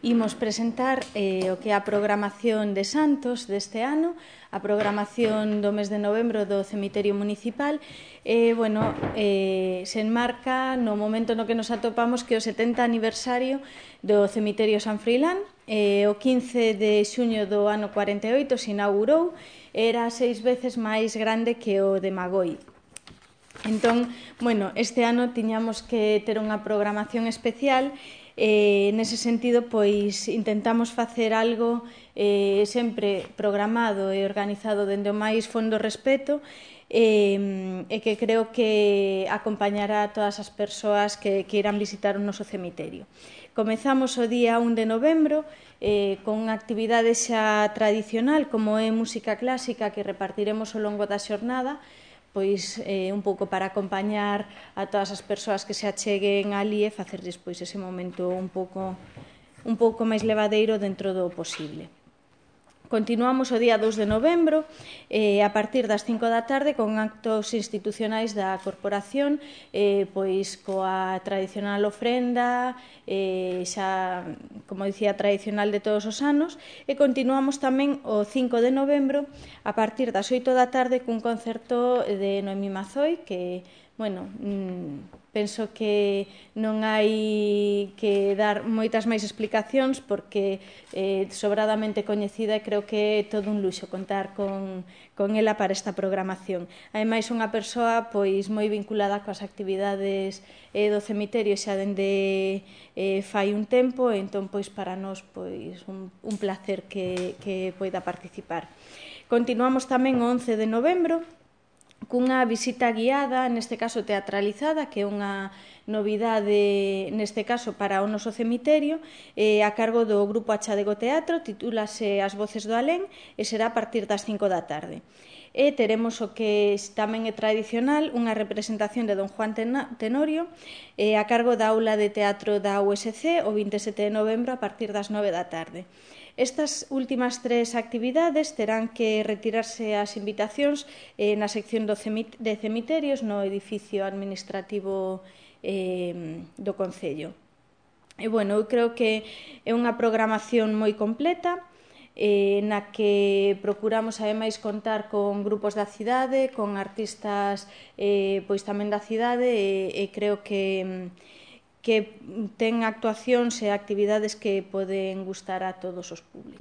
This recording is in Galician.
Imos presentar o que é a programación de Santos deste ano, a programación do mes de novembro do Cemiterio Municipal. Se enmarca no momento no que nos atopamos, que é o 70 aniversario do Cemiterio San Froilán. O 15 de xuño do ano 48 se inaugurou, era 6 veces máis grande que o de Magoi. Entón, este ano tiñamos que ter unha programación especial. Nese sentido, pois, intentamos facer algo sempre programado e organizado dende o máis fondo respeto, e que creo que acompañará a todas as persoas que irán visitar o noso cemiterio. Comezamos o día 1 de novembro con unha actividade xa tradicional, como é música clásica, que repartiremos ao longo da xornada, pois un pouco para acompañar a todas as persoas que se acheguen ali e facerlles pois ese momento un pouco máis levadeiro dentro do posible. Continuamos o día 2 de novembro a partir das 5 da tarde con actos institucionais da corporación, pois coa tradicional ofrenda, xa, como dicía, tradicional de todos os anos, e continuamos tamén o 5 de novembro a partir das 8 da tarde cun concerto de Noemí Mazoi, que, penso que non hai que dar moitas máis explicacións porque sobradamente coñecida, e creo que é todo un luxo contar con ela para esta programación. Ademais, unha persoa pois moi vinculada coas actividades do cemiterio xa dende fai un tempo, entón pois para nós pois un placer que poida participar. Continuamos tamén o 11 de novembro cunha visita guiada, neste caso teatralizada, que é unha novidade neste caso para o noso cemiterio, a cargo do Grupo Achadego Teatro, titúlase As Voces do Alén, e será a partir das 5 da tarde. E teremos o que tamén é tradicional, unha representación de Don Juan Tenorio, a cargo da Aula de Teatro da USC, o 27 de novembro a partir das 9 da tarde. Estas últimas tres actividades terán que retirarse as invitacións na sección de cemiterios no edificio administrativo do Concello. Eu creo que é unha programación moi completa, na que procuramos ademais contar con grupos da cidade, con artistas pois tamén da cidade, e creo que ten actuacións e actividades que poden gustar a todos os públicos.